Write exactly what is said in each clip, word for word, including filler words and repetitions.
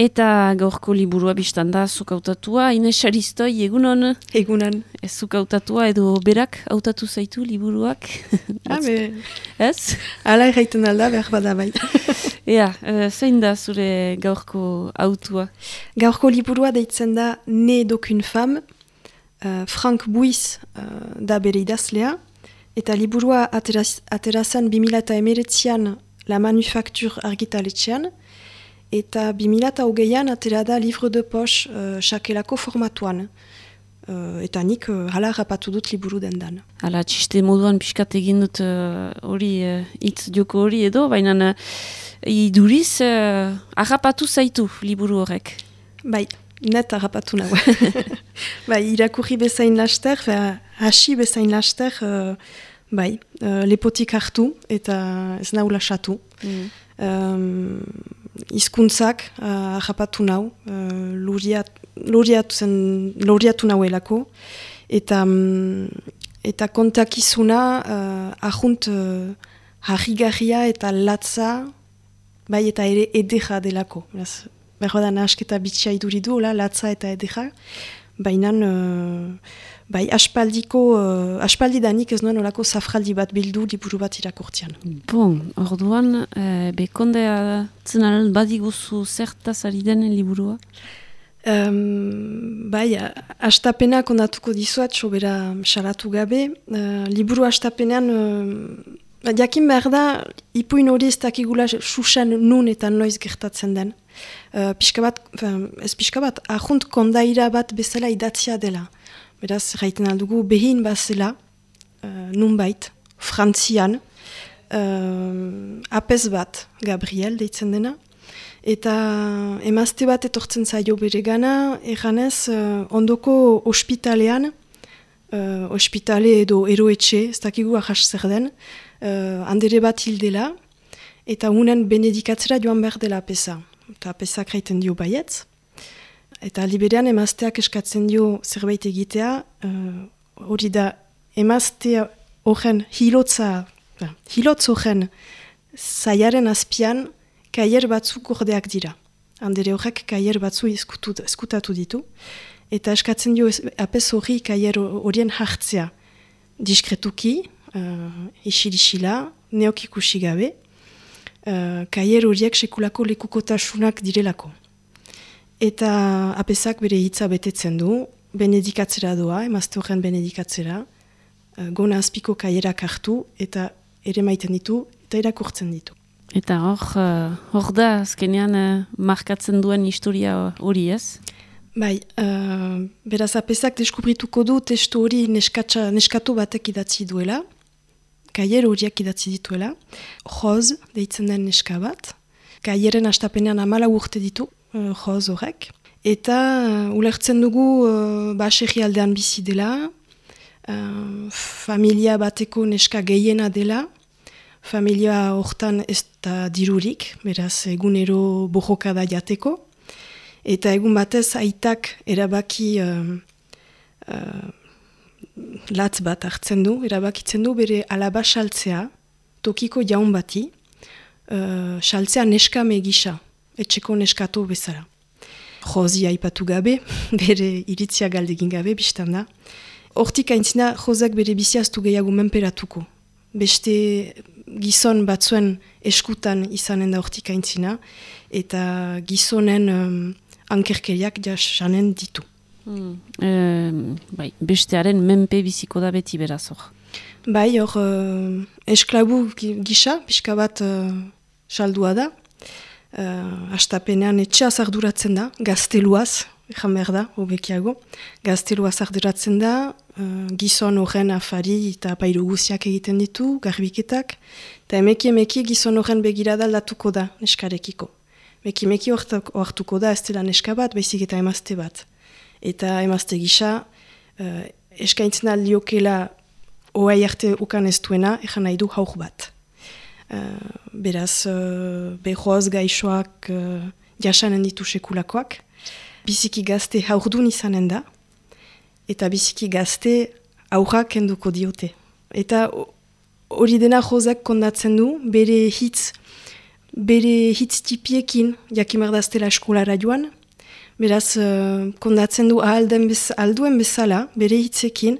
Eta gaurko liburua biztan da, zuk hautatua, Ines Aristoi, egunon? Egunon. Ez zuk hautatua edo berak hautatu zaitu liburuak? Habe. Ez? Hala erraiten alda, behar bada bai. Ea, uh, zein da zure gaurko autua? Gaurko liburua deitzen da Ne d'aucune femme, uh, Frank Buiz uh, da bere idazlea, eta liburua ateraz, aterazan bi mila emeretzian La Manufacture argitaletxean, eta bi mila hogeian atera da Livre de Poche uh, sakelako formatuan. Uh, eta nik uh, hala rapatu dut liburu dendan. Hala, txiste moduan pixkat egin dut hori, uh, hitz uh, joko hori edo, baina uh, iduriz uh, harrapatu zaitu liburu horrek. Bai, net harrapatu nago. Bai, irakurri bezain laster, hasi bezain laster, uh, bai, uh, lepotik hartu eta ez nau lasatu. Mm. Um, Hizkuntzak uh, harrapatu nau, uh, luriat, luriatu, zen, luriatu nauelako, eta, um, eta kontakizuna uh, ahunt uh, harrigarria eta latza, bai eta ere edera delako. Berro da nahasketa bitxia iduridu, latza eta edera, baina uh, bai aspaldiko, uh, aspaldidanik ez nuen olako zafraldi bat bildu liburu bat irakurtian. Bon, orduan, eh, bekondea zenaren badiguzu zertaz ari den liburua? Um, bai, astapena kondatuko dizuat, sobera salatu gabe. Uh, liburu astapenean, uh, jakin behar da, ipuin hori ez dakigula susen nun eta noiz gertatzen den. Uh, pixka bat, uh, ez pixka bat, ahunt kondaira bat bezala idatzia dela. Beraz, raiten aldugu behin bazela, uh, nunbait, Frantzian, uh, apez bat, Gabriel, deitzen dena, eta emazte bat etortzen zaio bere gana, erranez, uh, ondoko ospitalean, uh, ospitale edo eroetxe, ez dakigu ahas zer den, uh, handere bat hildela, eta unen benedikatzera joan behar dela apeza. Eta apezak raiten dio baietz. Eta liberean emazteak eskatzen dio zerbait egitea, hori uh, da emazte horren hilotza, uh, hilotz horren zaiaren azpian kaier batzuk ordeak dira. Handere horrek kaier batzu eskutatu ditu. Eta eskatzen dio apez hori kaier horien hartzea diskretuki, uh, isil-isila, neok ikusi gabe, uh, kaier horiek sekulako lekukotasunak direlako. Eta apezak bere hitza betetzen du, benedikatzera doa, emazte horren benedikatzera, uh, gona azpiko kaierak hartu, eta ere maiten ditu, eta irakurtzen ditu. Eta hor, uh, hor da, azkenean uh, markatzen duen historia hori ez? Bai, uh, beraz apezak deskubrituko du testu hori neskatsa, neskatu batek idatzi duela, kaier horiak idatzi dituela, Roz, deitzen den neska bat, kaieren astapenean amala urte ditu, Uh, joz horrek. Eta uh, ulertzen dugu uh, baserri aldean bizi dela, uh, familia bateko neska gehiena dela, familia hortan ez da dirurik, beraz egunero bojoka da jateko, eta egun batez aitak erabaki uh, uh, latz bat hartzen du, erabakitzen du bere alaba saltzea, tokiko jaun bati, uh, saltzea neskame gisa, etxeko neskatu bezala. Jozi aipatu gabe, bere iritzia galdegin gabe, biztan da. Hortik aintzina, Jozak bere biziaztu gehiago menperatuko. Beste gizon batzuen eskutan izanen da hortik aintzina, eta gizonen um, ankerkeriak jasanen ditu. Hmm. E, bai, bestearen menpe biziko da beti beraz hor. Bai, hor uh, esklabu gisa, pixka bat uh, saldua da. Uh, astapenean etxeaz arduratzen da, gazteluaz, ezan behar da, hobekiago. Gazteluaz arduratzen da, uh, gizon horren afari eta pairu guziak egiten ditu, garbiketak, eta emeki emeki gizon horren begirada aldatuko da neskarekiko. Emeki emeki oartuko da ez dela neska bat, baizik eta emazte bat. Eta emazte gisa, uh, eskaintzen aldiokela oai arte ukan ez duena, ezan nahi du haur bat. Uh, beraz, uh, behoaz gaixoak uh, jasanen ditu sekulakoak. Biziki gazte haurdun izanen da, eta biziki gazte aurrak kenduko diote. Eta hori dena Jozak kondatzen du, bere hitz bere hitz tipiekin jakimardaztela eskolara joan, beraz uh, kondatzen du ahalden bez, alduen bezala, bere hitzekin,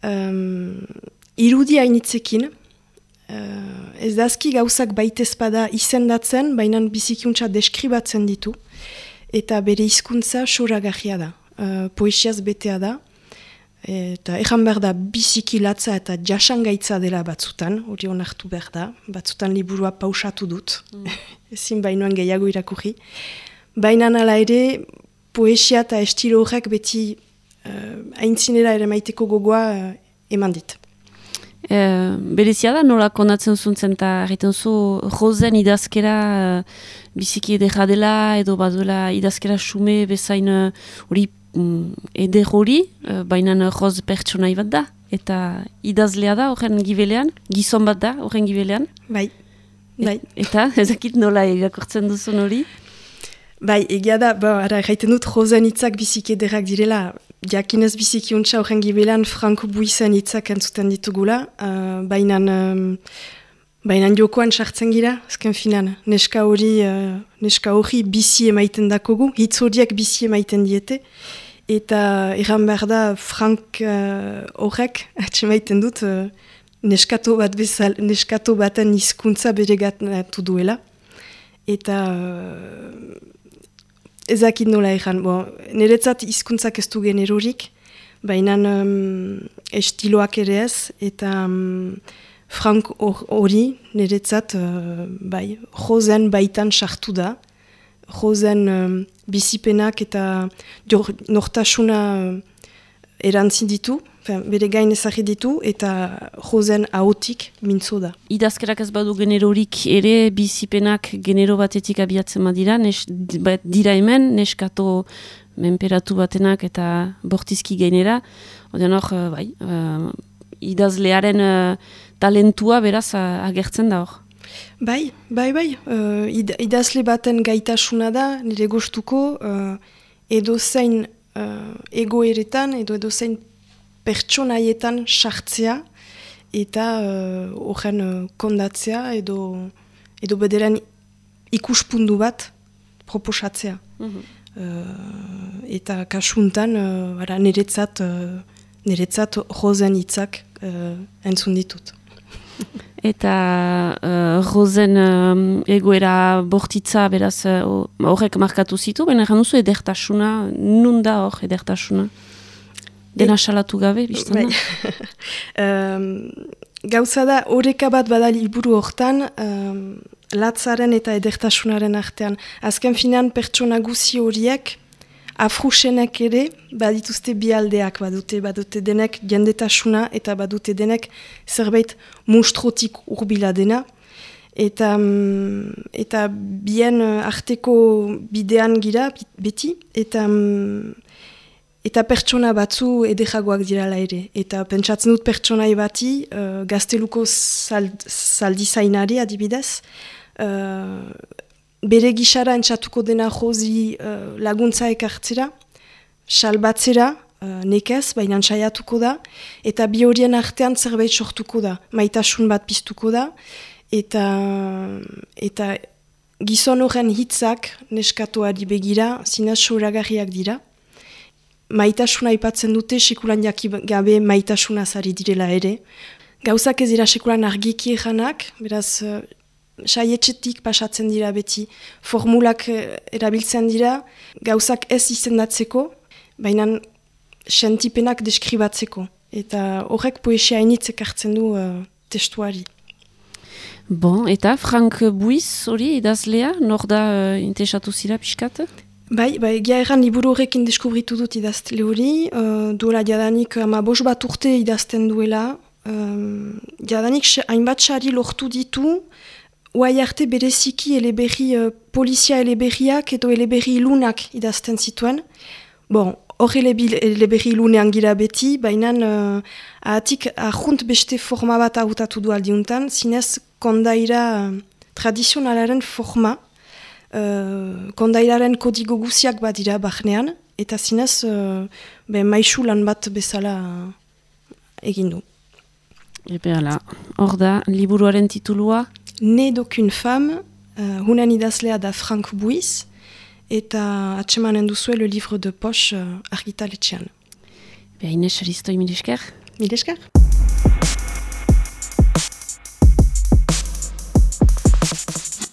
um, irudi hainitzekin, uh, ez dazki gauzak baitezpada izendatzen, baina bizikiuntza deskribatzen ditu, eta bere hizkuntza soragarria da, uh, poesiaz betea da, eta ejan behar da biziki latza eta jasangaitza dela batzutan, hori onartu behar da, batzutan liburua pausatu dut, mm. ezin bainoan gehiago irakurri. Baina nala ere, poesia eta estilo horrek beti uh, aintzinera ere maiteko gogoa uh, eman dit. E, berezia da, nola konatzen zuntzen eta egiten zu rozen idazkera uh, biziki edera dela, edo baduela idazkera xume bezain hori uh, eder hori, uh, baina roz pertsonai bat da, eta idazlea da horren gibelean, gizon bat da horren gibelean. Bai, bai. Et, eta ezakit nola irakurtzen duzun hori? Bai, egia da, ba, ara, gaiten dut rozen hitzak biziki ederrak direla, jakinez biziki untsa horren gibelean Franco Buizen hitzak entzuten ditugula, uh, baina um, baina jokoan sartzen gira, azken finan, neska hori uh, neska hori bizi emaiten dakogu, hitz horiek bizi emaiten diete, eta erran behar da Frank uh, horrek, atxe maiten dut, uh, neskato bat bezal, neskato baten hizkuntza beregatu duela, eta uh, ezakit nola erran, bon, niretzat hizkuntzak ez du generorik, baina um, estiloak ere ez, eta um, Frank hori niretzat uh, bai, rozen baitan sartu da, rozen um, bizipenak eta jor, nortasuna uh, erantzin ditu, bere gain ezagri ditu, eta rozen ahotik mintzo da. Idazkerak ez badu generorik ere, bizipenak genero batetik abiatzen badira, nes, bat dira hemen, neskato menperatu batenak eta bortizki gainera, odean hor, bai, uh, idazlearen uh, talentua beraz uh, agertzen da hor. Bai, bai, bai, uh, id, idazle baten gaitasuna da, nire gustuko, uh, edo zein uh, egoeretan, edo edo zein pertsonaietan sartzea eta horren uh, uh, kondatzea edo, edo bederen ikuspundu bat proposatzea. Mm-hmm. uh, eta kasuntan uh, ara, niretzat, uh, niretzat rozen hitzak uh, entzun ditut. Eta uh, rozen um, egoera bortitza beraz horrek uh, markatu zitu, baina egan duzu edertasuna, nun da hor edertasuna? Dena salatu gabe, biztan da? um, gauza da, horreka bat bada liburu hortan, um, latzaren eta edertasunaren artean. Azken finean pertsona guzi horiek, afrusenek ere, badituzte bi aldeak, badute, badute denek jendetasuna eta badute denek zerbait mustrotik urbila dena. Eta, um, eta bien arteko bidean gira, beti, eta... Um, Eta pertsona batzu ederagoak dirala ere. Eta pentsatzen dut pertsonai bati, uh, gazteluko zald, zaldizainari adibidez, uh, bere gixara entzatuko dena jozi uh, laguntza ekartzera, salbatzera, uh, nekez, baina saiatuko da, eta bi horien artean zerbait sortuko da, maitasun bat piztuko da, eta, eta gizon horren hitzak neskatoari begira, zinez soragarriak dira. Maitasuna aipatzen dute, sekulan jaki gabe maitasuna zari direla ere. Gauzak ez dira sekulan argiki eranak, beraz, uh, saietxetik pasatzen dira beti. Formulak uh, erabiltzen dira, gauzak ez izendatzeko, baina sentipenak deskribatzeko. Eta horrek poesia hainitzek hartzen du uh, testuari. Bon, eta Frank Buiz hori idazlea, nor da uh, interesatu zira pixkat? Bai, bai, egia erran liburu horrekin deskubritu dut idaztele hori, uh, duela jadanik ama bos bat urte idazten duela, um, jadanik hainbat sari lortu ditu, oai arte bereziki eleberri uh, polizia eleberriak edo eleberri ilunak idazten zituen. Bon, hor eleberri ilunean gira beti, baina uh, ahatik ahunt beste forma bat hautatu du aldiuntan, zinez kondaira uh, tradizionalaren forma, Uh, kondairaren kodigo guziak badira bahnean, eta zinez uh, be, maisu lan bat bezala egin du. Epe ala, hor da, liburuaren titulua? Ne d'aucune femme, Uh, hunen idazlea da Frank Buiz, eta atsemanen duzue Le Livre de Poche uh, argitaletxean. Beha Ines, Aristoi, mil esker? Mil esker?